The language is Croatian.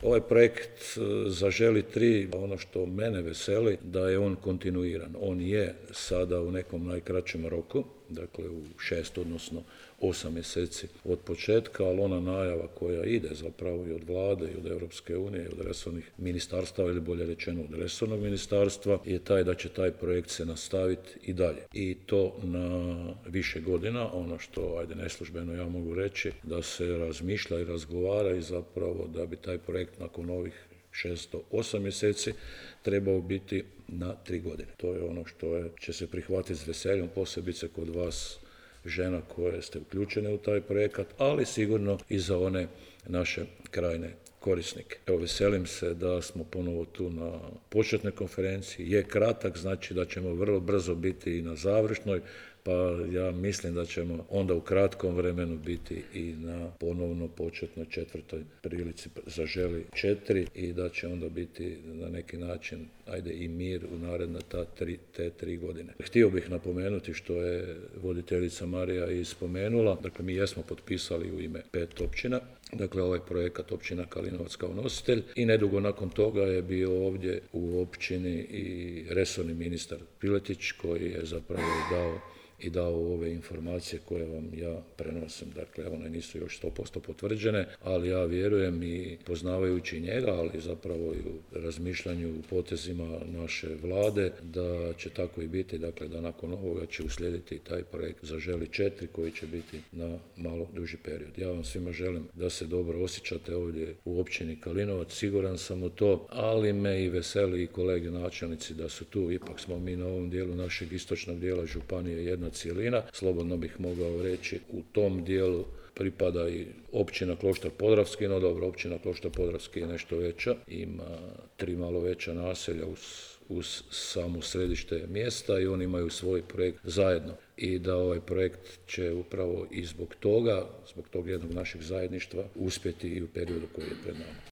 Ovaj projekt Zaželi 3, ono što mene veseli, da je on kontinuiran. On je sada u nekom najkraćem roku, dakle u 6, odnosno 8 mjeseci od početka, ali ona najava koja ide zapravo i od vlade i od Europske unije i od resornih ministarstava, ili bolje rečeno od resornog ministarstva, je taj da će taj projekt se nastaviti i dalje. I to na više godina, ono što, neslužbeno ja mogu reći, da se razmišlja i razgovara i zapravo da bi taj projekt nakon ovih 608 mjeseci trebao biti na 3 godine. To je ono što će se prihvatiti s veseljem, posebice kod vas žena koje ste uključene u taj projekat, ali sigurno i za one naše krajne korisnike. Evo, veselim se da smo ponovo tu na početnoj konferenciji. Je kratak, znači da ćemo vrlo brzo biti i na završnoj, pa ja mislim da ćemo onda u kratkom vremenu biti i na ponovno početnoj 4. prilici Zaželi 4 i da će onda biti na neki način i mir u naredne te 3 godine. Htio bih napomenuti što je voditeljica Marija i spomenula, dakle mi jesmo potpisali u ime 5 općina, dakle ovaj projekat općina Kalinovac kao nositelj i nedugo nakon toga je bio ovdje u općini i resorni ministar Piletić koji je zapravo dao ove informacije koje vam ja prenosim. Dakle, one nisu još 100% potvrđene, ali ja vjerujem i poznavajući njega, ali zapravo i u razmišljanju, u potezima naše vlade, da će tako i biti, dakle da nakon ovoga će uslijediti taj projekt Zaželi 4 koji će biti na malo duži period. Ja vam svima želim da se dobro osjećate ovdje u općini Kalinovac, siguran sam u to, ali me i veseli i kolege načelnici da su tu, ipak smo mi na ovom dijelu našeg istočnog dijela županije jedna cjelina, slobodno bih mogao reći u tom dijelu pripada i općina Kloštar Podravski, no dobro, općina Kloštar Podravski je nešto veća, ima 3 malo veća naselja uz samo središte mjesta i oni imaju svoj projekt zajedno. I da ovaj projekt će upravo i zbog tog jednog našeg zajedništva uspjeti i u periodu koji je pred nama.